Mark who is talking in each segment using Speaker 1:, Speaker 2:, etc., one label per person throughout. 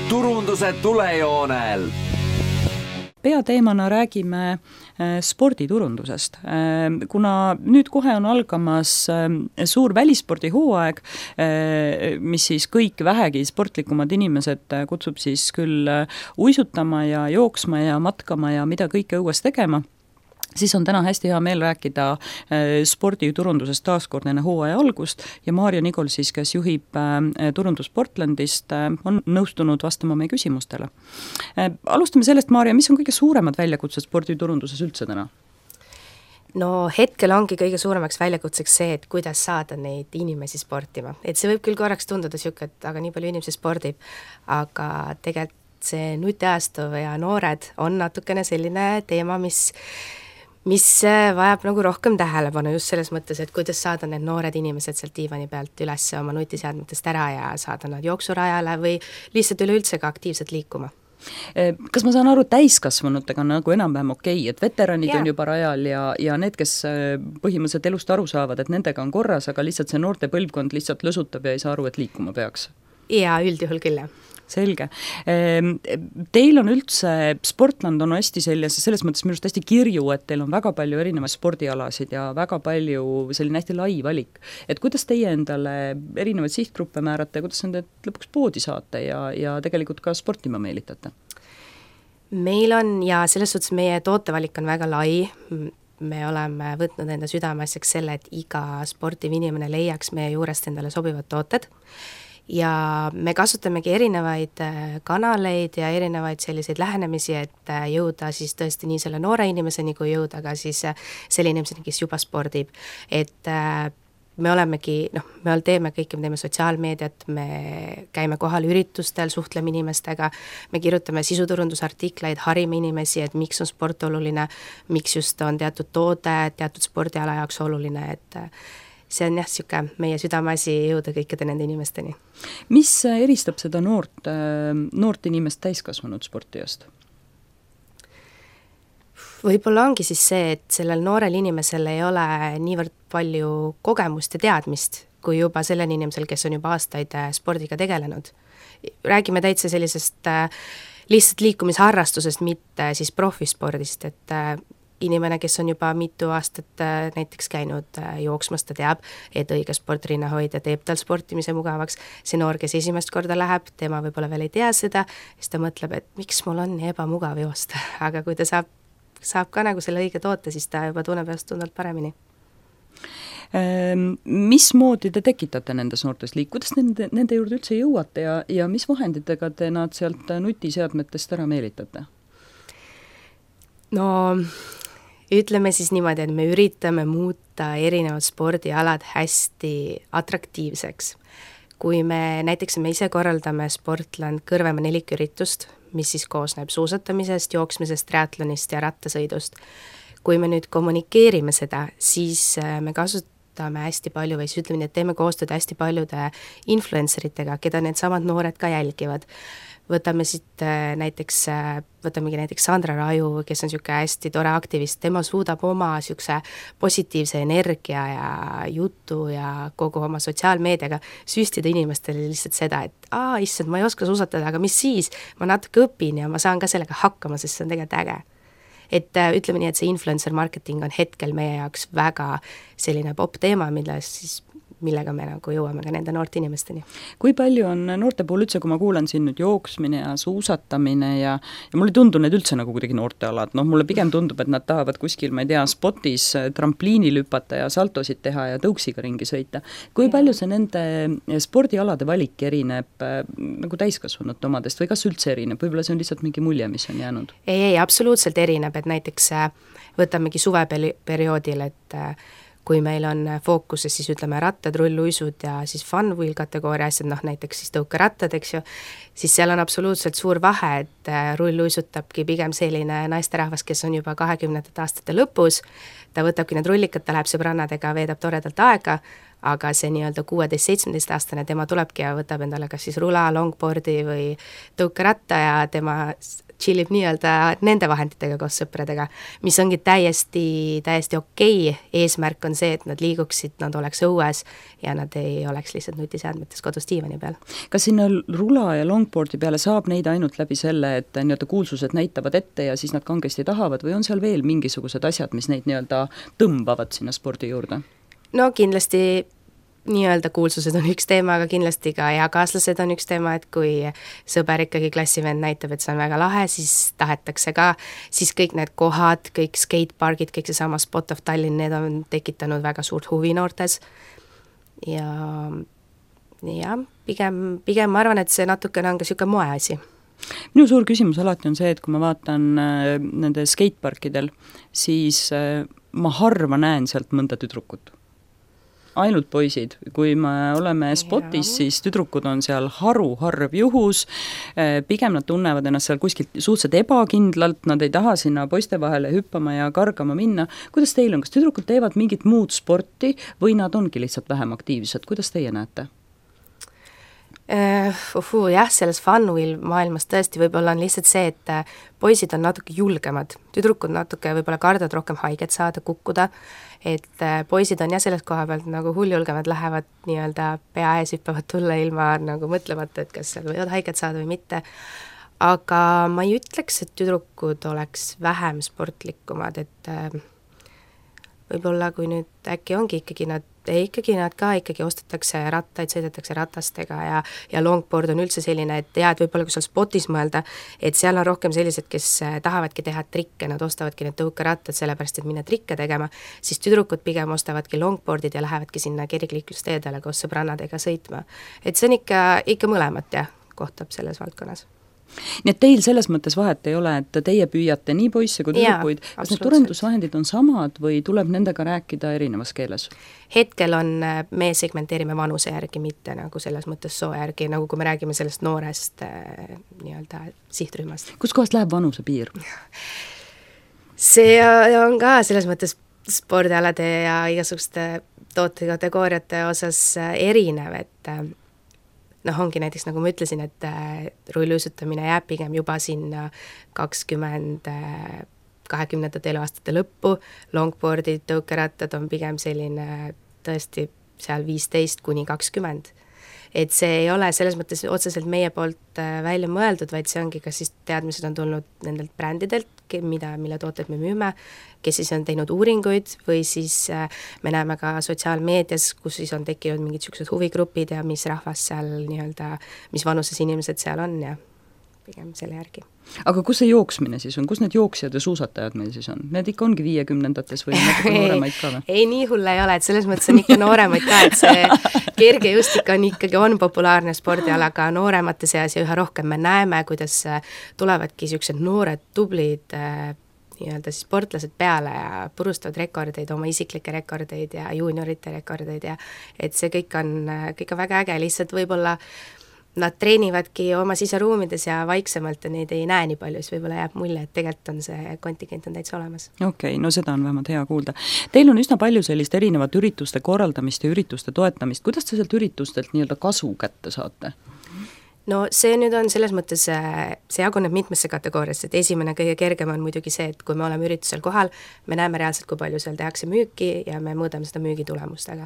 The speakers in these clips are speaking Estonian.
Speaker 1: turunduse tulejoonel.
Speaker 2: Peateemana räägime sporditurundusest. Kuna nüüd kohe on algamas suur välispordihooaeg, mis siis kõik vähegi sportlikumad inimesed kutsub siis küll uisutama ja jooksma ja matkama ja mida kõike õues tegema, siis on täna hästi hea meel rääkida sporditurundusest taaskord enne hooaja algust ja Maarja Nigol siis, kes juhib turundus Portlandist, on nõustunud vastama meie küsimustele. Alustame sellest, Maarja, mis on kõige suuremad väljakutsed sporditurunduses üldse täna?
Speaker 3: No hetkel ongi kõige suuremaks väljakutseks see, et kuidas saada neid inimesi sportima. Et see võib küll korraks tunduda siuke, et aga nii palju inimesi spordib, aga tegelikult see nutiajastu ja noored on natukene selline teema, mis vajab nagu rohkem tähelepanu just selles mõttes, et kuidas saada need noored inimesed sealt diivani pealt üles oma nutiseadmetest ära ja saada nad jooksurajale või lihtsalt üleüldse ka aktiivselt liikuma.
Speaker 2: Kas ma saan aru, täiskasvanutega on nagu enam-vähem okei, et veteranid on juba rajal ja need, kes põhimõtteliselt elust aru saavad, et nendega on korras, aga lihtsalt see noorte põlvkond lihtsalt lõsutab ja ei saa aru, et liikuma peaks?
Speaker 3: Ja üldjuhul küll, jah.
Speaker 2: Selge. Teil on üldse, Sportland on hästi selles mõttes minu arust hästi kirju, et teil on väga palju erinevaid spordialasid ja väga palju selline hästi lai valik. Et kuidas teie endale erinevaid sihtgruppe määrate ja kuidas nende lõpuks poodi saate ja tegelikult ka sportima meelitate?
Speaker 3: Meil on ja selles suhtes meie tootevalik on väga lai. Me oleme võtnud enda südameasjaks selle, et iga sportiv inimene leiaks meie juurest endale sobivad tooted. Ja me kasutamegi erinevaid kanaleid ja erinevaid selliseid lähenemisi, et jõuda siis tõesti nii selle noore inimeseni, kui jõuda ka siis selle inimeseni, kes juba spordib. Et me olemegi, me teeme kõike, me teeme sotsiaalmeediat, me käime kohal üritustel, suhtleme inimestega, me kirjutame sisuturundusartikleid, harime inimesi, et miks on sport oluline, miks just on teatud toode, teatud spordiala jaoks oluline, et see on jah, siuke meie südameasi jõuda kõikide nende inimesteni.
Speaker 2: Mis eristab seda noort inimest täiskasvanud sportijast?
Speaker 3: Võib-olla ongi siis see, et sellel noorel inimesel ei ole niivõrd palju kogemust ja teadmist, kui juba sellel inimesel, kes on juba aastaid spordiga tegelenud. Räägime täitsa sellisest lihtsalt liikumisharrastusest, mitte siis profispordist, et inimene, kes on juba mitu aastat näiteks käinud jooksmas, ta teab, et õige sportrinnahoidja teeb tal sportimise mugavaks. See noor, kes esimest korda läheb, tema võib-olla veel ei tea seda, siis ta mõtleb, et miks mul on nii ebamugav joosta. Aga kui ta saab ka nagu selle õige toote, siis ta juba tunneb ennast tundvalt paremini.
Speaker 2: Mismoodi te tekitate nendes noortes kuidas nende juurde üldse jõuate ja mis vahenditega te nad sealt nutiseadmetest ära meelitate?
Speaker 3: No ütleme siis niimoodi, et me üritame muuta erinevad spordialad hästi atraktiivseks. Kui me ise korraldame Sportland Kõrvemaa 4 üritust, mis siis koosneb suusatamisest, jooksmisest, triatlonist ja rattasõidust. Kui me nüüd kommunikeerime seda, siis me kasutame hästi palju või siis ütleme nii, et teeme koostööd hästi paljude influenceritega, keda need samad noored ka jälgivad. Võtamegi näiteks Sandra Raju, kes on siuke hästi tore aktivist, tema suudab oma siukse positiivse energia ja jutu ja kogu oma sotsiaalmeediaga süstida inimestele lihtsalt seda, et issand, ma ei oska suusatada, aga mis siis? Ma natuke õpin ja ma saan ka sellega hakkama, sest see on tegelikult äge. Et ütleme nii, et see influencer marketing on hetkel meie jaoks väga selline pop teema, millega me nagu jõuame ka nende noorte inimesteni.
Speaker 2: Kui palju on noorte puhul üldse, kui ma kuulen siin nüüd jooksmine ja suusatamine ja mulle ei tundu need üldse nagu kuidagi noortealad, mulle pigem tundub, et nad tahavad kuskil, ma ei tea, spotis trampliini lüpata ja saltosid teha ja tõuksiga ringi sõita. Kui palju see nende spordialade valik erineb nagu täiskasvanute omadest või kas üldse erineb? Võib-olla see on lihtsalt mingi mulje, mis on jäänud?
Speaker 3: Ei, absoluutselt erineb, et näiteks võtamegi suveperioodil, et kui meil on fookuses siis ütleme rattad, rulluisud ja siis fun wheel kategooria asjad, näiteks siis tõukerattad, eks ju, siis seal on absoluutselt suur vahe, et rulluisutabki pigem selline naisterahvas, kes on juba 20. aastate lõpus, ta võtabki need rullikad, ta läheb sõbrannadega, veedab toredalt aega, aga see nii-öelda 16-17-aastane, tema tulebki ja võtab endale kas siis rula, longboardi või tõukeratta ja tema chillib nii-öelda nende vahenditega koos sõpradega, mis ongi täiesti okei. Eesmärk on see, et nad liiguksid, nad oleks õues ja nad ei oleks lihtsalt nutiseadmetes kodus diivani peal.
Speaker 2: Kas sinna rula ja longboardi peale saab neid ainult läbi selle, et nii-öelda kuulsused näitavad ette ja siis nad kangesti tahavad või on seal veel mingisugused asjad, mis neid nii-öelda tõmbavad sinna spordi juurde? No
Speaker 3: kindlasti nii-öelda kuulsused on üks teema, aga kindlasti ka eakaaslased on üks teema, et kui sõber ikkagi klassivend näitab, et see on väga lahe, siis tahetakse ka, siis kõik need kohad, kõik skatepargid, kõik seesama Spot of Tallinn, need on tekitanud väga suurt huvi noortes ja pigem ma arvan, et see natukene on ka niisugune moeasi.
Speaker 2: Minu suur küsimus alati on see, et kui ma vaatan nende skateparkidel, siis ma harva näen sealt mõnda tüdrukut. Ainult poisid, kui me oleme spotis, siis tüdrukud on seal harv juhus, pigem nad tunnevad ennast seal kuskilt suhteliselt ebakindlalt, nad ei taha sinna poiste vahele hüppama ja kargama minna. Kuidas teil on, kas tüdrukud teevad mingit muud sporti või nad ongi lihtsalt vähem aktiivsed, kuidas teie näete?
Speaker 3: Jah, selles Funwheel maailmas tõesti võib-olla on lihtsalt see, et poisid on natuke julgemad, tüdrukud natuke võib-olla kardavad rohkem haiget saada, kukkuda, et poisid on jah selles koha pealt nagu hulljulgemad, lähevad nii-öelda pea ees hüppavad tulla ilma nagu mõtlemata, et kas seal võivad haiget saada või mitte, aga ma ei ütleks, et tüdrukud oleks vähem sportlikumad, et võib-olla kui nüüd äkki ongi ikkagi nad ostetakse rattaid, sõidetakse ratastega ja longboard on üldse selline, et et võib-olla kui seal spotis mõelda, et seal on rohkem sellised, kes tahavadki teha trikke, nad ostavadki need tõukerattad sellepärast, et minna trikke tegema, siis tüdrukud pigem ostavadki longboardid ja lähevadki sinna kergliiklusteedele koos sõbrannadega sõitma. Et see on ikka mõlemat kohtab selles valdkonnas.
Speaker 2: Nii et teil selles mõttes vahet ei ole, et teie püüate nii poisse kui tüdrukuid, kas need turendusvahendid on samad või tuleb nendega rääkida erinevas keeles?
Speaker 3: Hetkel me segmenteerime vanuse järgi, mitte nagu selles mõttes soo järgi, nagu kui me räägime sellest noorest nii-öelda sihtrühmast.
Speaker 2: Kus kohast läheb vanuse piir?
Speaker 3: See on ka selles mõttes spordialade ja igasuguste tootekategooriate osas erinev, et ongi näiteks, nagu ma ütlesin, et rulluisutamine jääb pigem juba sinna 20 eluaastate lõppu, longboardid, tõukerattad on pigem selline tõesti seal 15 kuni 20. Et see ei ole selles mõttes otseselt meie poolt välja mõeldud, vaid see ongi, kas siis teadmised on tulnud nendelt brändidelt, mille tooted me müüme, kes siis on teinud uuringuid või siis me näeme ka sotsiaalmeedias, kus siis on tekkinud mingid sellised huvigrupid ja mis rahvas seal nii-öelda, mis vanuses inimesed seal on ja pigem selle järgi.
Speaker 2: Aga kus see jooksmine siis on? Kus need jooksjad ja suusatajad meil siis on? Need ikka ongi 50-ndates või natuke nooremaid ka või?
Speaker 3: Ei, nii hull ei ole, et selles mõttes on ikka nooremaid ka, et see kergejõustik on populaarne spordiala ka nooremate seas ja üha rohkem me näeme, kuidas tulevadki sellised noored, tublid nii-öelda siis sportlased peale ja purustavad rekordeid, oma isiklikke rekordeid ja juuniorite rekordeid ja et see kõik on väga äge, lihtsalt võib-olla nad treenivadki oma siseruumides ja vaiksemalt ja neid ei näe nii palju, siis võib-olla jääb mulje, et tegelikult on see kontingent on täitsa olemas.
Speaker 2: Okei, no seda on vähemalt hea kuulda. Teil on üsna palju sellist erinevat ürituste korraldamist ja ürituste toetamist. Kuidas te sealt üritustelt nii-öelda kasu kätte saate?
Speaker 3: No see nüüd on selles mõttes, see jaguneb mitmesse kategooriasse, et esimene kõige kergem on muidugi see, et kui me oleme üritusel kohal, me näeme reaalselt, kui palju seal tehakse müüki ja me mõõdame seda müügitulemustega.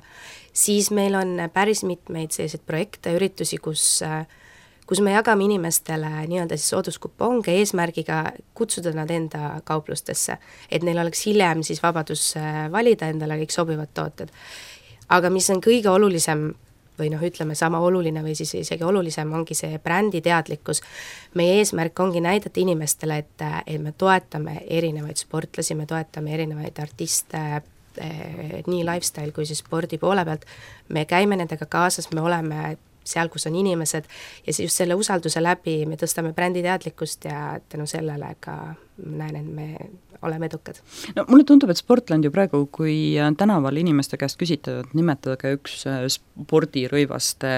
Speaker 3: Siis meil on päris mitmeid selliseid projekte, üritusi, kus me jagame inimestele nii-öelda siis sooduskuponge eesmärgiga kutsuda nad enda kauplustesse, et neil oleks hiljem siis vabadus valida endale kõik sobivad tooted. Aga mis on kõige olulisem või ütleme sama oluline või siis isegi olulisem ongi see brändi teadlikkus. Meie eesmärk ongi näidata inimestele, et me toetame erinevaid sportlasi, me toetame erinevaid artiste, nii lifestyle kui siis spordi poole pealt. Me käime nendega kaasas, me oleme seal, kus on inimesed ja just selle usalduse läbi me tõstame brändi teadlikkust ja tänu sellele ka näen, et me oleme edukad. No
Speaker 2: mulle tundub, et Sportland ju praegu, kui tänaval inimeste käest küsitavad, nimetada ka üks spordirõivaste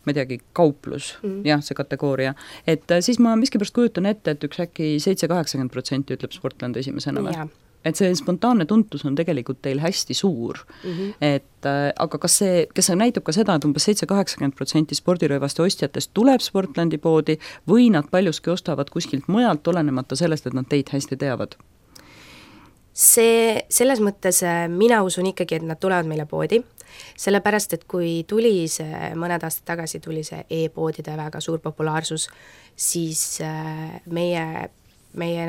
Speaker 2: ma ei teagi, kauplus, jah, see kategooria, et siis ma miskipärast kujutan ette, et üks äkki 7-80% ütleb Sportland esimesena või? et see spontaanne tuntus on tegelikult teil hästi suur. Et aga kas see näitab ka seda, et umbes 70-80% spordirõivaste ostjatest tuleb Sportlandi poodi või nad paljuski ostavad kuskilt mujalt, olenemata sellest, et nad teid hästi teavad?
Speaker 3: Selles mõttes mina usun ikkagi, et nad tulevad meile poodi, sellepärast, et kui mõned aastad tagasi tuli see e-poodide väga suur populaarsus, siis meie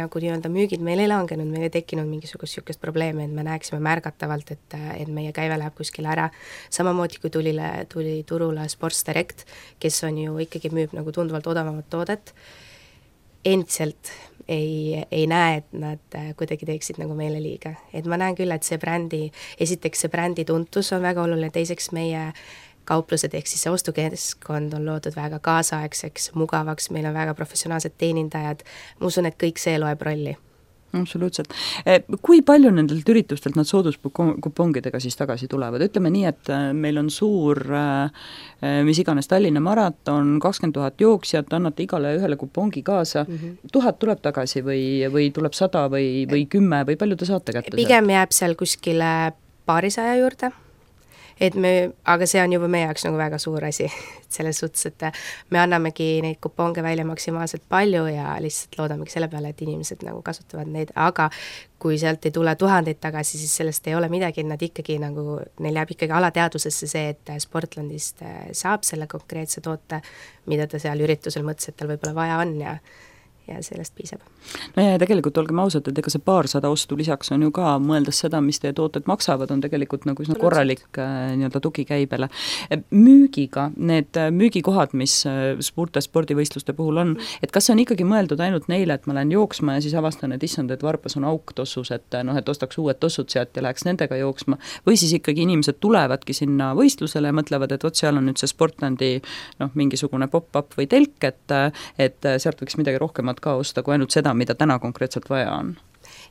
Speaker 3: nagu nii-öelda müügid meil ei langenud, meil ei tekkinud mingisugust probleemi, et me näeksime märgatavalt, et meie käive läheb kuskile ära. Samamoodi kui tuli turule Sports Direct, kes on ju ikkagi müüb nagu tunduvalt odavamat toodet, endiselt ei näe, et nad kuidagi teeksid nagu meile liiga. Et ma näen küll, et esiteks see brändi tuntus on väga oluline, teiseks meie kauplused ehk siis see ostukeskkond on loodud väga kaasaegseks, mugavaks, meil on väga professionaalsed teenindajad, ma usun, et kõik see loeb rolli.
Speaker 2: Absoluutselt. Kui palju nendelt üritustelt nad sooduskupongidega siis tagasi tulevad? Ütleme nii, et meil on suur, mis iganes Tallinna maraton, 20 000 jooksjat, annate igale ühele kupongi kaasa, 1000 tuleb tagasi või tuleb 100 või 10 või palju te saate kätte?
Speaker 3: Pigem jääb seal kuskile paarisaja juurde. Aga see on juba meie jaoks nagu väga suur asi, selles suhtes, et me annamegi neid kuponge välja maksimaalselt palju ja lihtsalt loodamegi selle peale, et inimesed nagu kasutavad neid, aga kui sealt ei tule 1000 tagasi, siis sellest ei ole midagi, nad ikkagi nagu, neil jääb ikkagi alateadvusesse see, et Sportlandist saab selle konkreetse toote, mida ta seal üritusel mõtles, et tal võib-olla vaja on ja sellest piisab.
Speaker 2: No ja tegelikult olgem ausad, et ega see paarsada ostu lisaks on ju ka, mõeldes seda, mis teie tooted maksavad, on tegelikult nagu üsna korralik nii-öelda tugikäibele. Müügiga, need müügikohad, mis suurte spordivõistluste puhul on, et kas see on ikkagi mõeldud ainult neile, et ma lähen jooksma ja siis avastan, et issand, et Varpas on auk tossus, et ostaks uued tossud sealt ja läheks nendega jooksma, või siis ikkagi inimesed tulevadki sinna võistlusele ja mõtlevad, et seal on nüüd see Sportlandi mingisugune pop-up või telk, et sealt võiks midagi rohkemat ka osta kui ainult seda, mida täna konkreetselt vaja on.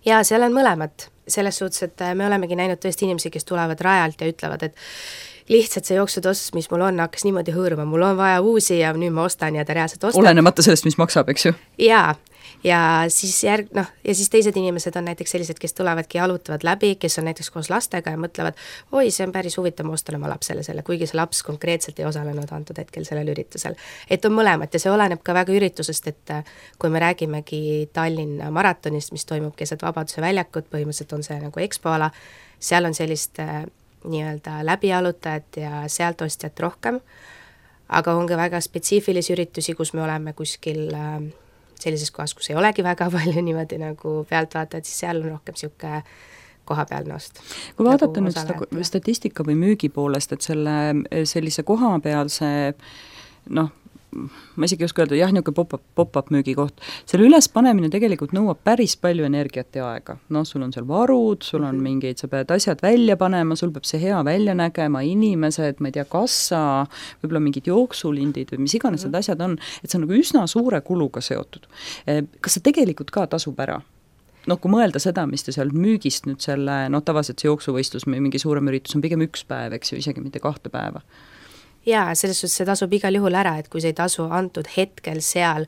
Speaker 3: Ja seal on mõlemad, selles suhtes, et me olemegi näinud tõesti inimesi, kes tulevad rajalt ja ütlevad, et lihtsalt see jooksutoss, mis mul on, hakkas niimoodi hõõruma, mul on vaja uusi ja nüüd ma ostan ja ta reaalselt ostab.
Speaker 2: Olenemata sellest, mis maksab, eks ju?
Speaker 3: Ja siis teised inimesed on näiteks sellised, kes tulevadki ja jalutavad läbi, kes on näiteks koos lastega ja mõtlevad, oi, see on päris huvitav, ma ostan oma lapsele selle, kuigi see laps konkreetselt ei osalenud antud hetkel sellel üritusel. Et on mõlemat ja see oleneb ka väga üritusest, et kui me räägimegi Tallinna maratonist, mis toimub keset Vabaduse väljakut, põhimõtteliselt on see nagu ekspoala, seal on sellist nii-öelda läbijalutajat ja sealt ostjat rohkem, aga on ka väga spetsiifilisi üritusi, kus me oleme kuskil sellises kohas, kus ei olegi väga palju niimoodi nagu pealtvaatajad, siis seal on rohkem niisugune kohapealne ost.
Speaker 2: Kui vaadata nüüd seda statistika või müügi poolest, et sellise kohapealse ma isegi ei oska öelda, niisugune pop-up müügikoht, selle ülespanemine tegelikult nõuab päris palju energiat ja aega. Sul on seal varud, sul on mingid, sa pead asjad välja panema, sul peab see hea välja nägema, inimesed, ma ei tea, kassa, võib-olla mingid jooksulindid või mis iganes need asjad on, et see on nagu üsna suure kuluga seotud. Kas see tegelikult ka tasub ära? Kui mõelda seda, mis te seal müügist nüüd selle, tavaliselt see jooksuvõistlus või mingi suurem üritus on pigem 1 päev, eks ju, isegi mitte 2 päeva.
Speaker 3: Jaa, selles suhtes see tasub igal juhul ära, et kui see ei tasu antud hetkel seal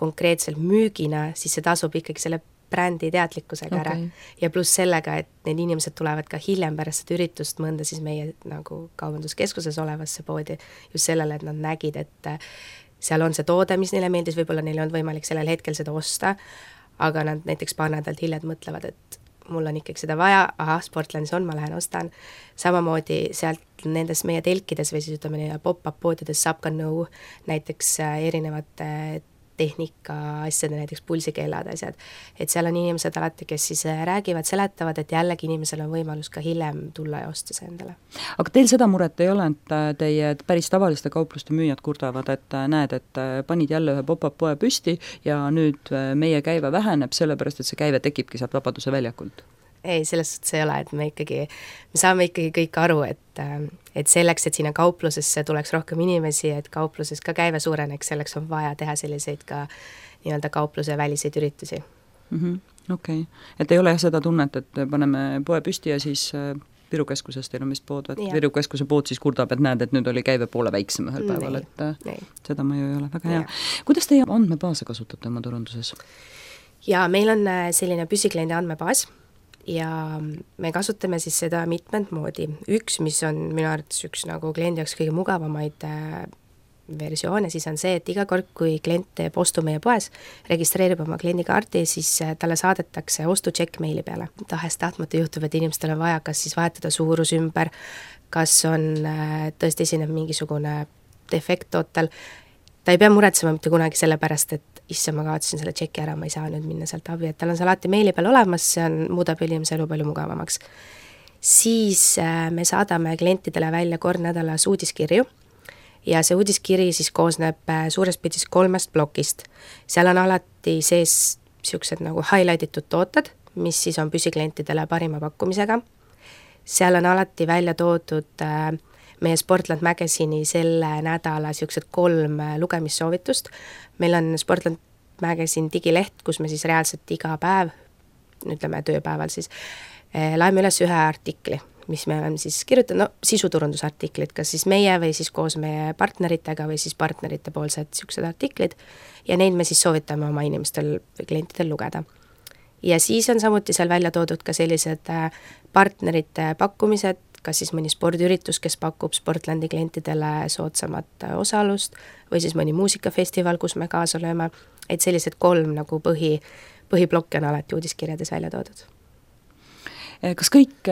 Speaker 3: konkreetselt müügina, siis see tasub ikkagi selle brändi teadlikkusega ära. Ja pluss sellega, et need inimesed tulevad ka hiljem pärast seda üritust mõnda siis meie nagu kaubanduskeskuses olevasse poodi just sellele, et nad nägid, et seal on see toode, mis neile meeldis, võib-olla neil on võimalik sellel hetkel seda osta, aga nad näiteks paar nädalt hiljem mõtlevad, et mul on ikkagi seda vaja, Sportlandis on, ma lähen ostan. Samamoodi sealt nendes meie telkides või siis ütleme pop-up poodides saab ka nõu näiteks erinevate tehnika asjade, näiteks pulsikellad asjad. Et seal on inimesed alati, kes siis räägivad, seletavad, et jällegi inimesel on võimalus ka hiljem tulla ja osta see endale.
Speaker 2: Aga teil seda muret ei ole, et teie päris tavaliste kaupluste müüjad kurdavad, et näed, et panid jälle ühe pop-up poe püsti ja nüüd meie käive väheneb, sellepärast et see käive tekibki sealt Vabaduse väljakult?
Speaker 3: Ei, selles suhtes ei ole, et me saame ikkagi kõik aru, et selleks, et sinna kauplusesse tuleks rohkem inimesi, et kaupluses ka käive suureneks, selleks on vaja teha selliseid ka nii-öelda kaupluse väliseid üritusi.
Speaker 2: Okei. Et ei ole seda tunnet, et paneme poe püsti ja siis Viru keskuses teil on vist pood, et Viru keskuse pood siis kurdab, et näed, et nüüd oli käive poole väiksem ühel päeval, et seda ma ju ei ole väga hea. Kuidas teie andmebaase kasutate oma turunduses?
Speaker 3: Ja meil on selline püsikliendi andmebaas, ja me kasutame siis seda mitmed moodi. Üks, mis on minu arvates üks nagu kliendi jaoks kõige mugavamaid versioone, siis on see, et iga kord, kui klient teeb ostu meie poes, registreerib oma kliendikaardi, siis talle saadetakse ostu-check meili peale. Tahes-tahtmata juhtub, et inimestel on vaja kas siis vahetada suurus ümber, kas on tõesti esineb mingisugune defekt tootel. Ta ei pea muretsema mitte kunagi selle pärast, et isse ma kaotasin selle tšeki ära, ma ei saa nüüd minna sealt abi, et tal on see alati meili peal olemas, see muudab inimese elu palju mugavamaks. Siis me saadame klientidele välja kord nädalas uudiskirju, ja see uudiskiri siis koosneb suures pildis 3 plokist. Seal on alati sees siuksed nagu highlightitud tooted, mis siis on püsiklientidele parima pakkumisega. Seal on alati välja toodud meie Sportland Magazine'i selle nädala siuksed 3 lugemissoovitust. Meil on Sportland Magazine digileht, kus me siis reaalselt iga päev, ütleme tööpäeval siis, laeme üles ühe artikli, mis me oleme siis kirjutanud, sisuturundusartiklid, kas siis meie või siis koos meie partneritega või siis partnerite poolsed siuksed artiklid ja neid me siis soovitame oma inimestel või klientidel lugeda. Ja siis on samuti seal välja toodud ka sellised partnerite pakkumised, kas siis mõni spordiüritus, kes pakub Sportlandi klientidele soodsamat osalust või siis mõni muusikafestival, kus me kaasa lööme, et sellised 3 nagu põhiblokki on alati uudiskirjades välja toodud.
Speaker 2: Kas kõik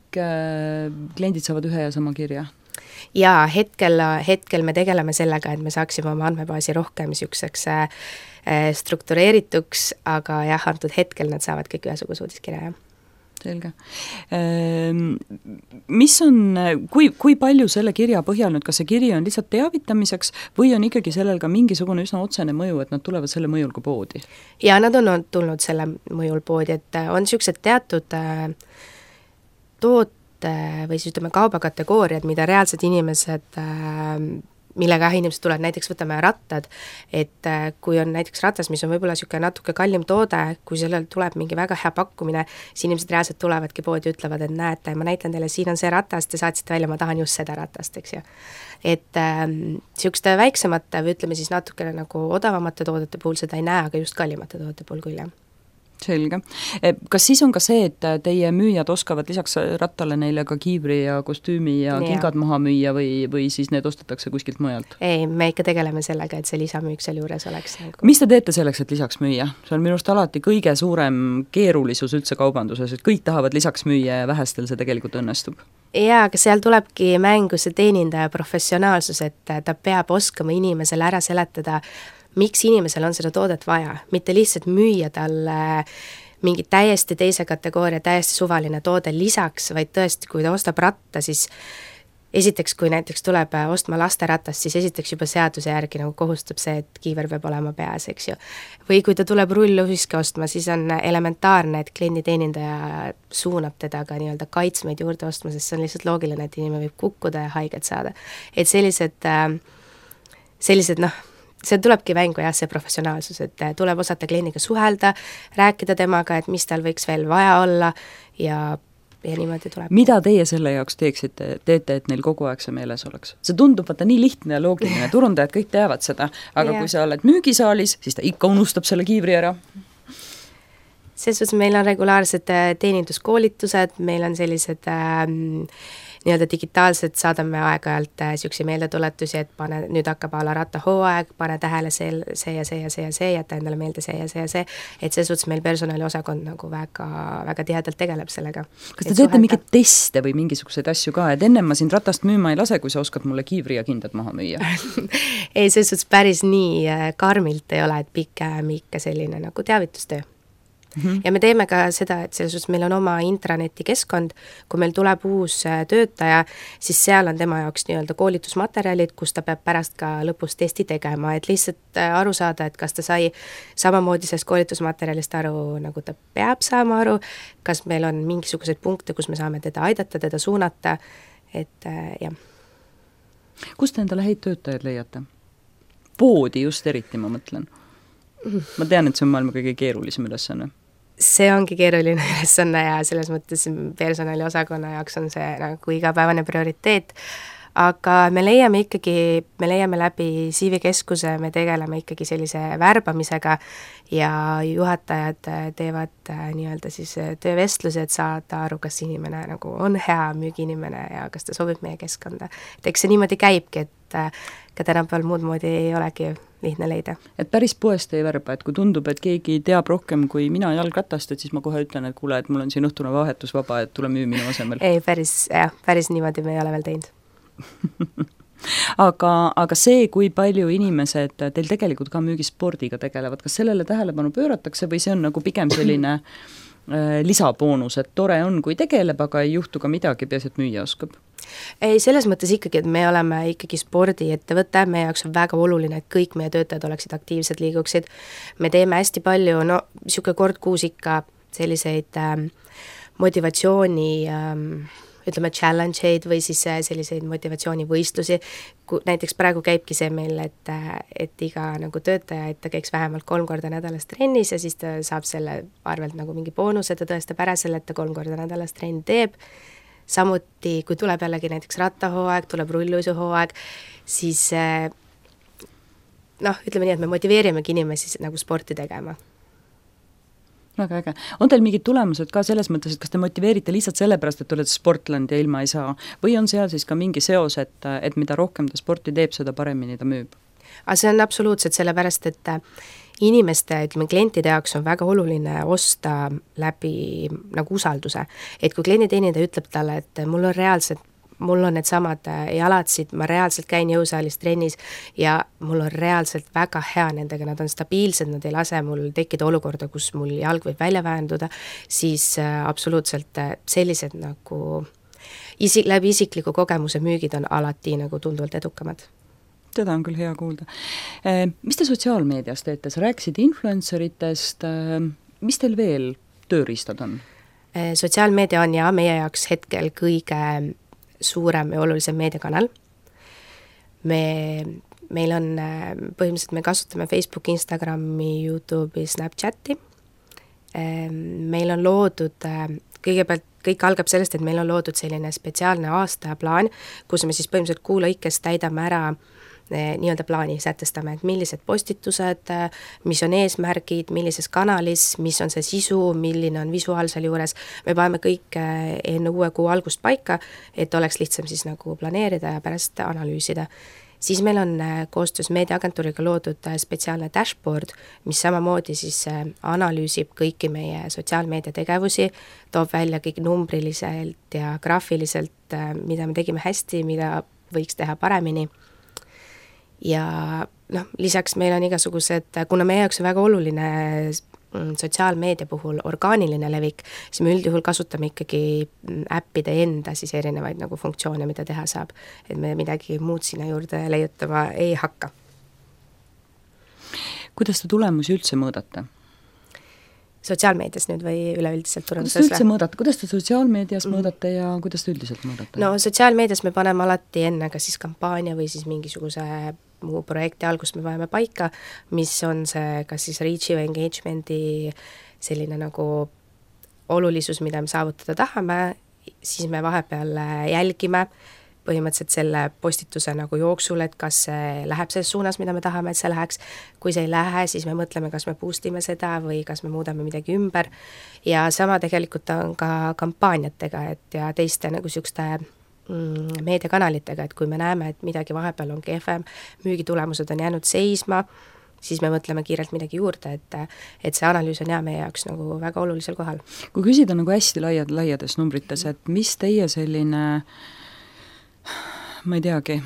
Speaker 2: kliendid saavad ühe ja sama kirja?
Speaker 3: Jaa, hetkel me tegeleme sellega, et me saaksime oma andmebaasi rohkem siukseks struktureerituks, aga jah, antud hetkel nad saavad kõik ühesuguse uudiskirja, jah.
Speaker 2: Selge. Mis on, kui palju selle kirja põhjal nüüd, kas see kiri on lihtsalt teavitamiseks või on ikkagi sellel ka mingisugune üsna otsene mõju, et nad tulevad selle mõjul ka poodi?
Speaker 3: Ja nad on tulnud selle mõjul poodi, et on siuksed teatud toote või siis ütleme kaubakategooriad, mida reaalsed inimesed millega inimesed tulevad, näiteks võtame rattad, et kui on näiteks ratas, mis on võib-olla niisugune natuke kallim toode, kui sellel tuleb mingi väga hea pakkumine, siis inimesed reaalselt tulevadki poodi, ütlevad, et näete, ma näitan teile, siin on see ratas, te saatsite välja, ma tahan just seda ratast, eks ju. Et niisuguste väiksemate või ütleme siis natukene nagu odavamate toodete puhul seda ei näe, aga just kallimate toodete puhul küll, jah.
Speaker 2: Selge. Kas siis on ka see, et teie müüjad oskavad lisaks rattale neile ka kiivri ja kostüümi ja kingad maha müüa või siis need ostetakse kuskilt mujalt?
Speaker 3: Ei, me ikka tegeleme sellega, et see lisamüük seal juures oleks nagu.
Speaker 2: Mis te teete selleks, et lisaks müüa? See on minust alati kõige suurem keerulisus üldse kaubanduses, et kõik tahavad lisaks müüa ja vähestel see tegelikult õnnestub.
Speaker 3: Jaa, aga seal tulebki mängu see teenindaja professionaalsus, et ta peab oskama inimesele ära seletada, miks inimesel on seda toodet vaja, mitte lihtsalt müüa talle mingi täiesti teise kategooria, täiesti suvaline toode lisaks, vaid tõesti, kui ta ostab ratta, siis esiteks, kui näiteks tuleb ostma lasteratast, siis esiteks juba seaduse järgi nagu kohustab see, et kiiver peab olema peas, eks ju. Või kui ta tuleb rulluhiske ostma, siis on elementaarne, et klienditeenindaja suunab teda ka nii-öelda kaitsmeid juurde ostma, sest see on lihtsalt loogiline, et inimene võib kukkuda ja haiget saada. Et sellised see tulebki mängu jah, see professionaalsus, et tuleb osata kliendiga suhelda, rääkida temaga, et mis tal võiks veel vaja olla ja niimoodi tuleb.
Speaker 2: Mida teie selle jaoks teete, et neil kogu aeg see meeles oleks? See tundub vaata nii lihtne ja loogiline, turundajad kõik teavad seda, aga kui sa oled müügisaalis, siis ta ikka unustab selle kiivri ära.
Speaker 3: Selles suhtes meil on regulaarsed teeninduskoolitused, meil on sellised nii-öelda digitaalselt saadame aeg-ajalt siukse meeldetuletusi, et pane, nüüd hakkab ala rattahooaeg, pane tähele see ja see ja see ja see, jäta endale meelde see ja see ja see, et see suhtes meil personaliosakond nagu väga, väga tihedalt tegeleb sellega.
Speaker 2: Kas te teete mingeid teste või mingisuguseid asju ka, et ennem ma sind ratast müüma ei lase, kui sa oskad mulle kiivri ja kindad maha müüa?
Speaker 3: Ei, selles suhtes päris nii karmilt ei ole, et pigem ikka selline nagu teavitustöö. Ja me teeme ka seda, et selles suhtes meil on oma intraneti keskkond, kui meil tuleb uus töötaja, siis seal on tema jaoks nii-öelda koolitusmaterjalid, kus ta peab pärast ka lõpus testi tegema, et lihtsalt aru saada, et kas ta sai samamoodi sellest koolitusmaterjalist aru, nagu ta peab saama aru, kas meil on mingisuguseid punkte, kus me saame teda aidata, teda suunata, et jah.
Speaker 2: Kust te endale häid töötajaid leiate? Poodi just eriti, ma mõtlen. Ma tean, et see on maailma kõige keerulisem ülesanne.
Speaker 3: See ongi keeruline ülesanne ja selles mõttes personaliosakonna jaoks on see nagu igapäevane prioriteet, aga me leiame läbi CV Keskuse, me tegeleme ikkagi sellise värbamisega ja juhatajad teevad nii-öelda siis töövestlusi, et saada aru, kas inimene nagu on hea müügiinimene ja kas ta sobib meie keskkonda. Et eks see niimoodi käibki, et ka tänapäeval muud moodi ei olegi lihtne leida.
Speaker 2: Et päris poest ei värba, et kui tundub, et keegi teab rohkem kui mina jalgratast, et siis ma kohe ütlen, et kuule, et mul on siin õhtune vahetus vaba, et tule müü minu asemel.
Speaker 3: Ei, päris niimoodi me ei ole veel teinud.
Speaker 2: aga see, kui palju inimesed teil tegelikult ka müügispordiga tegelevad, kas sellele tähelepanu pööratakse või see on nagu pigem selline lisaboonus, et tore on, kui tegeleb, aga ei juhtu ka midagi, peaasi, et müüa oskab?
Speaker 3: Ei, selles mõttes ikkagi, et me oleme ikkagi spordiettevõte, meie jaoks on väga oluline, et kõik meie töötajad oleksid aktiivsed, liiguksid. Me teeme hästi palju, niisugune kord kuus ikka selliseid motivatsiooni ütleme challenge-eid või siis selliseid motivatsioonivõistlusi, näiteks praegu käibki see meil, et iga nagu töötaja, et ta käiks vähemalt 3 korda nädalas trennis ja siis ta saab selle arvelt nagu mingi boonuse, ta tõestab ära selle, et ta 3 korda nädalas trenn teeb. Samuti, kui tuleb jällegi näiteks rattahooaeg, tuleb rulluisuhooaeg, siis ütleme nii, et me motiveerimegi inimesi nagu sporti tegema.
Speaker 2: Väga äge. On teil mingid tulemused ka selles mõttes, et kas te motiveerite lihtsalt sellepärast, et te olete sportland ja ilma ei saa? Või on seal siis ka mingi seos, et mida rohkem ta sporti teeb, seda paremini ta müüb?
Speaker 3: Aga see on absoluutselt sellepärast, et inimeste, ütleme, klientide jaoks on väga oluline osta läbi nagu usalduse. Et kui klienditeenindaja ütleb talle, et mul on need samad jalatsid, ma reaalselt käin jõusaalis trennis ja mul on reaalselt väga hea nendega, nad on stabiilsed, nad ei lase mul tekkida olukorda, kus mul jalg võib välja väänduda, siis absoluutselt sellised nagu läbi isikliku kogemuse müügid on alati nagu tunduvalt edukamad.
Speaker 2: Seda on küll hea kuulda. Mis te sotsiaalmeedias teete? Sa rääkisid influenceritest, mis teil veel tööriistad on?
Speaker 3: Sotsiaalmeedia on meie jaoks hetkel kõige suurem ja olulisem meediakanal. Meil on põhimõtteliselt, me kasutame Facebooki, Instagrami, YouTube'i, Snapchati. Meil on loodud, kõigepealt kõik algab sellest, et meil on loodud selline spetsiaalne aastaplaan, kus me siis põhimõtteliselt kuu lõikes täidame ära nii-öelda plaani, sätestame, et millised postitused, mis on eesmärgid, millises kanalis, mis on see sisu, milline on visuaal seal juures, me paneme kõik enne uue kuu algust paika, et oleks lihtsam siis nagu planeerida ja pärast analüüsida. Siis meil on koostöös meediaagentuuriga loodud spetsiaalne dashboard, mis samamoodi siis analüüsib kõiki meie sotsiaalmeedia tegevusi, toob välja kõik numbriliselt ja graafiliselt, mida me tegime hästi, mida võiks teha paremini. Ja lisaks meil on igasugused, kuna meie jaoks on väga oluline sotsiaalmeedia puhul orgaaniline levik, siis me üldjuhul kasutame ikkagi äppide enda siis erinevaid nagu funktsioone, mida teha saab, et me midagi muud sinna juurde leiutama ei hakka.
Speaker 2: Kuidas te tulemusi üldse mõõdate?
Speaker 3: Sotsiaalmeedias nüüd või üleüldiselt turunduses?
Speaker 2: Kuidas te üldse mõõdate? Kuidas te sotsiaalmeedias mõõdate ja kuidas te üldiselt mõõdate?
Speaker 3: No sotsiaalmeedias me paneme alati enne ka siis kampaania või siis mingisuguse muu projekti algust me paneme paika, mis on see kas siis reach'i või engagement'i selline nagu olulisus, mida me saavutada tahame, siis me vahepeal jälgime põhimõtteliselt selle postituse nagu jooksul, et kas see läheb selles suunas, mida me tahame, et see läheks. Kui see ei lähe, siis me mõtleme, kas me boostime seda või kas me muudame midagi ümber. Ja sama tegelikult on ka kampaaniatega, et ja teiste nagu sükste meediakanalitega, et kui me näeme, et midagi vahepeal on kehvem, müügitulemused on jäänud seisma, siis me mõtleme kiirelt midagi juurde, et see analüüs on meie jaoks nagu väga olulisel kohal.
Speaker 2: Kui küsida nagu hästi laiades numbrites, et mis teie selline ma ei teagi,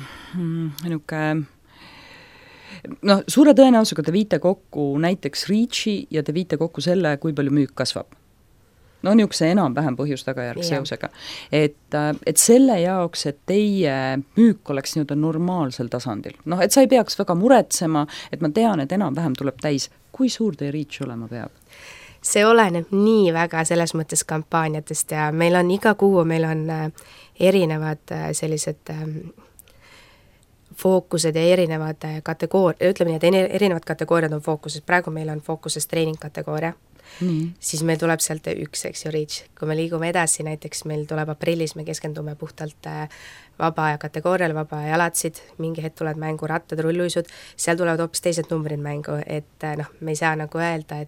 Speaker 2: suure tõenäosusega te viite kokku näiteks reach'i ja te viite kokku selle, kui palju müük kasvab. Niisuguse enam-vähem põhjus-tagajärg seosega. Et selle jaoks, et teie müük oleks nii-öelda normaalsel tasandil. Et sa ei peaks väga muretsema, et ma tean, et enam-vähem tuleb täis. Kui suur teie reach olema peab?
Speaker 3: See oleneb nii väga selles mõttes kampaaniatest ja meil on iga kuu, meil on erinevad sellised fookused ja erinevad ütleme nii, et erinevad kategooriad on fookuses, praegu meil on fookuses treeningkategooria, siis meil tuleb sealt üks, eks ju, reach. Kui me liigume edasi, näiteks meil tuleb aprillis, me keskendume puhtalt vaba aja kategooriale, vaba aja jalatsid, mingi hetk tulevad mängu rattad, rulluisud, seal tulevad hoopis teised numbrid mängu, et me ei saa nagu öelda,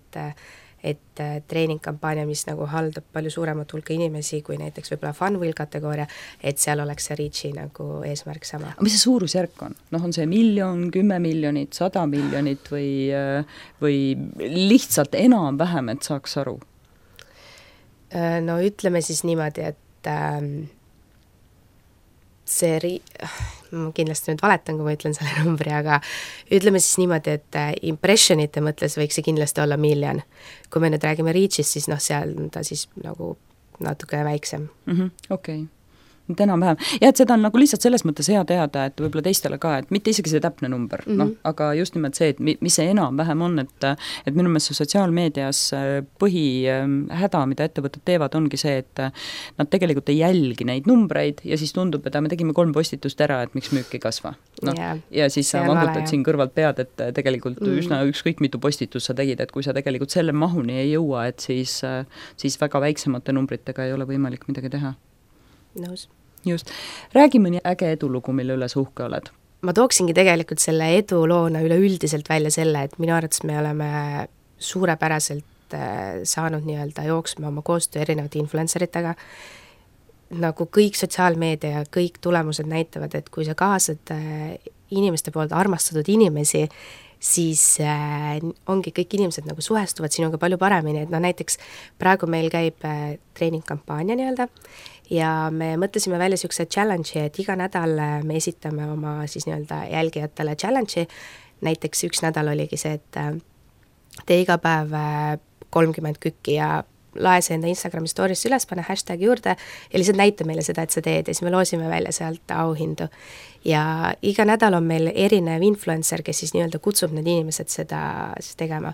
Speaker 3: et treeningkampaania, mis nagu haldab palju suuremat hulka inimesi kui näiteks võib-olla fun wheel kategooria, et seal oleks see reach'i nagu eesmärk sama.
Speaker 2: Mis see suurusjärk on? On see 1 miljon, 10 miljonit, 100 miljonit või lihtsalt enam-vähem, et saaks aru?
Speaker 3: No ütleme siis niimoodi, et ma kindlasti nüüd valetan, kui ma ütlen selle numbri, aga ütleme siis niimoodi, et impressionite mõtles võiks see kindlasti olla 1 miljon. Kui me nüüd räägime reach'ist, siis seal on ta siis nagu natuke väiksem.
Speaker 2: Okei. Nüüd enam-vähem. Ja et seda on nagu lihtsalt selles mõttes hea teada, et võib-olla teistele ka, et mitte isegi see täpne number, aga just nimelt see, et mis see enam-vähem on, et minu meelest sotsiaalmeedias põhihäda, mida ettevõtted teevad, ongi see, et nad tegelikult ei jälgi neid numbreid ja siis tundub, et me tegime 3 postitust ära, et miks müük ei kasva. Ja siis sa vangutad siin kõrvalt pead, et tegelikult üsna ükskõik mitu postitust sa tegid, et kui sa tegelikult selle mahuni ei jõua, et siis väga väiksemate numbritega ei ole võimalik midagi teha.
Speaker 3: Nõus.
Speaker 2: Just. Räägime nii äge edulugu, mille üles uhke oled.
Speaker 3: Ma tooksingi tegelikult selle eduloona üleüldiselt välja selle, et minu arvates me oleme suurepäraselt saanud nii-öelda jooksma oma koostöö erinevate influenceritega. Nagu kõik sotsiaalmeedia ja kõik tulemused näitavad, et kui sa kaasad inimeste poolt armastatud inimesi, siis ongi kõik inimesed nagu suhestuvad sinuga palju paremini, et näiteks praegu meil käib treeningkampaania nii-öelda ja me mõtlesime välja niisuguse challenge'i, et iga nädal me esitame oma siis nii-öelda jälgijatele challenge'i, näiteks üks nädal oligi see, et tee iga päev 30 kükki ja lae see enda Instagrami story'sse üles, pane hashtag juurde ja lihtsalt näita meile seda, et sa teed ja siis me loosime välja sealt auhindu. Ja iga nädal on meil erinev influencer, kes siis nii-öelda kutsub need inimesed seda tegema.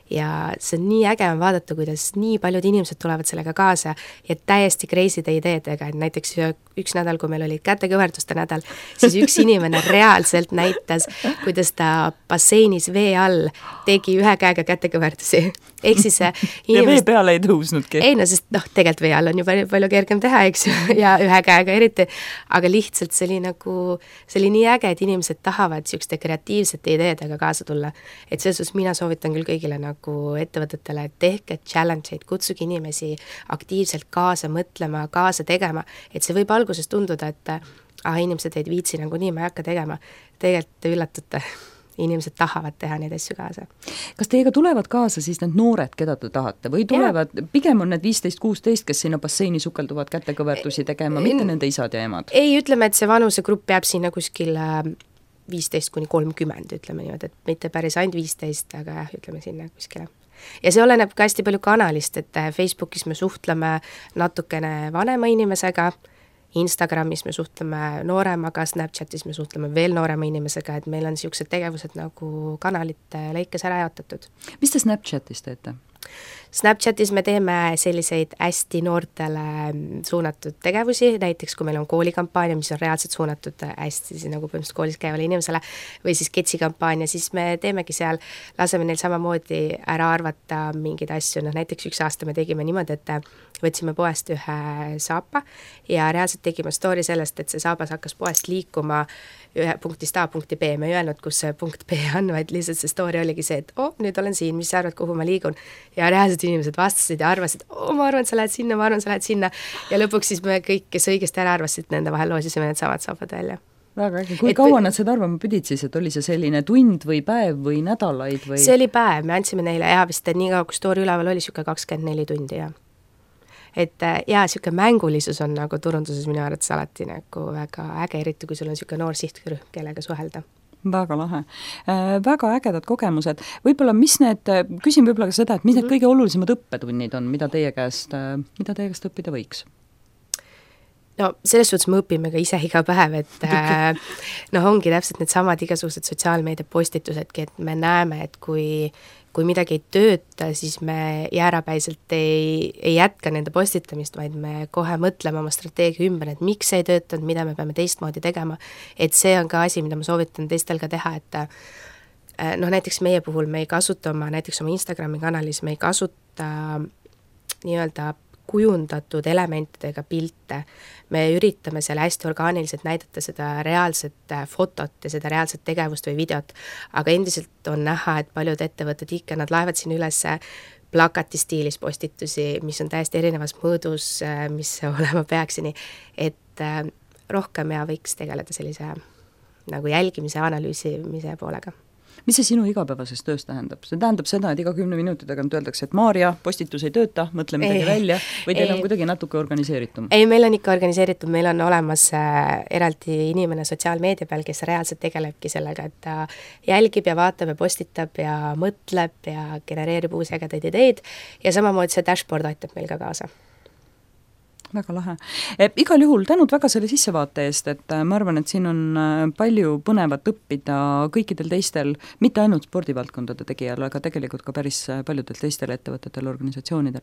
Speaker 3: Ja see on nii äge on vaadata, kuidas nii paljud inimesed tulevad sellega kaasa ja täiesti crazy'de ideedega, et näiteks üks nädal, kui meil olid kätekõverduste nädal, siis üks inimene reaalselt näitas, kuidas ta basseinis vee all tegi 1 käega kätekõverdusi. Ehk siis
Speaker 2: ja vee peale ei tõusnudki?
Speaker 3: Ei, sest tegelikult vee all on ju palju kergem teha, eks ju, ja 1 käega eriti, aga lihtsalt see oli nii äge, et inimesed tahavad niisuguste kreatiivsete ideedega kaasa tulla. Et selles mina soovitan küll kõigile nagu ettevõtetele, et tehke challenge'id, kutsuge inimesi aktiivselt kaasa mõtlema, kaasa tegema, et see võib alguses tunduda, et inimesed ei viitsi nagu nii, ma ei hakka tegema. Tegelikult te üllatate, inimesed tahavad teha neid asju kaasa.
Speaker 2: Kas teiega tulevad kaasa siis need noored, keda te tahate, või tulevad, pigem on need 15-16, kes sinna basseini sukelduvad kätekõverdusi tegema, mitte nende isad ja emad?
Speaker 3: Ei, ütleme, et see vanusegrupp jääb sinna kuskil 15-30, ütleme niimoodi, et mitte päris ainult 15, aga ütleme sinna kuskile. Ja see oleneb ka hästi palju kanalist, et Facebookis me suhtleme natukene vanema inimesega, Instagramis me suhtleme nooremaga, Snapchatis me suhtleme veel noorema inimesega, et meil on niisugused tegevused nagu kanalite lõikes ära jaotatud.
Speaker 2: Mis te Snapchatis teete?
Speaker 3: Snapchatis me teeme selliseid hästi noortele suunatud tegevusi, näiteks kui meil on koolikampaania, mis on reaalselt suunatud hästi nagu põhimõtteliselt koolis käivale inimesele, või siis ketsikampaania, siis me teemegi seal, laseme neil samamoodi ära arvata mingeid asju, näiteks üks aasta me tegime niimoodi, et võtsime poest ühe saapa ja reaalselt tegime story sellest, et see saabas hakkas poest liikuma ühe punktist A punkti B, me ei öelnud, kus see punkt B on, vaid lihtsalt see story oligi see, et nüüd olen siin, mis sa arvad, kuhu ma liigun, ja reaalselt inimesed vastasid ja arvasid, ma arvan, sa lähed sinna, ma arvan, sa lähed sinna ja lõpuks siis me kõik, kes õigesti ära arvasid, nende vahel loosisime need samad saapad välja.
Speaker 2: Väga äge. Kui kaua nad seda arvama pidid siis, et oli see selline tund või päev või nädalaid või?
Speaker 3: See oli päev, me andsime neile vist, et nii kaua, kui story üleval oli, siuke 24 tundi ja et siuke mängulisus on nagu turunduses minu arvates alati nagu väga äge, eriti kui sul on siuke noor sihtrühm, kellega suhelda.
Speaker 2: Väga lahe. Väga ägedad kogemused. Võib-olla, küsin võib-olla ka seda, et mis need kõige olulisemad õppetunnid on, mida teie käest õppida võiks?
Speaker 3: no selles suhtes me õpime ka ise iga päev, et ongi täpselt needsamad igasugused sotsiaalmeedia postitusedki, et me näeme, et kui midagi ei tööta, siis me jäärapäiselt ei jätka nende postitamist, vaid me kohe mõtleme oma strateegia ümber, et miks see ei töötanud, mida me peame teistmoodi tegema, et see on ka asi, mida ma soovitan teistel ka teha, et näiteks meie puhul me ei kasuta näiteks oma Instagrami kanalis, me ei kasuta nii-öelda kujundatud elementidega pilte. Me üritame seal hästi orgaaniliselt näidata seda reaalset fotot ja seda reaalset tegevust või videot, aga endiselt on näha, et paljud ettevõtted ikka, nad laevad siin üles plakati stiilis postitusi, mis on täiesti erinevas mõõdus, mis olema peaksini, et rohkem võiks tegeleda sellise nagu jälgimise, analüüsimise poolega.
Speaker 2: Mis see sinu igapäevases töös tähendab? See tähendab seda, et iga 10 minuti tagant öeldakse, et Maarja, postitus ei tööta, mõtle midagi välja, või teil on kuidagi natuke organiseeritum?
Speaker 3: Ei, meil on ikka organiseeritum, meil on olemas eraldi inimene sotsiaalmeedia peal, kes reaalselt tegelebki sellega, et ta jälgib ja vaatab ja postitab ja mõtleb ja genereerib uusi ägedaid ideid ja samamoodi see dashboard aitab meil ka kaasa.
Speaker 2: Väga lahe. Igal juhul tänud väga selle sissevaate eest, et ma arvan, et siin on palju põnevat õppida kõikidel teistel, mitte ainult spordivaldkondade tegijal, aga tegelikult ka päris paljudel teistel ettevõtetel, organisatsioonidel.